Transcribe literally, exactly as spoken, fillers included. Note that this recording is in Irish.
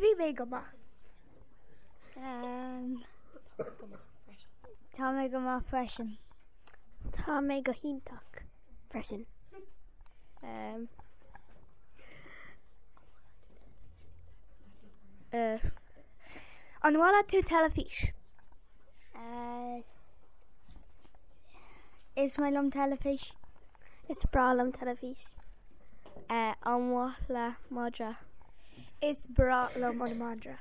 Bhí mé go maith. Um, Tá mé go maith freisin. Tá mé go hiontach freisin. Um, uh, An bhfuil tú teilifís? Uh, is maith liom teilifís. Is breá liom teilifís. Uh, an mhaith le madra. Is breá liom an madra.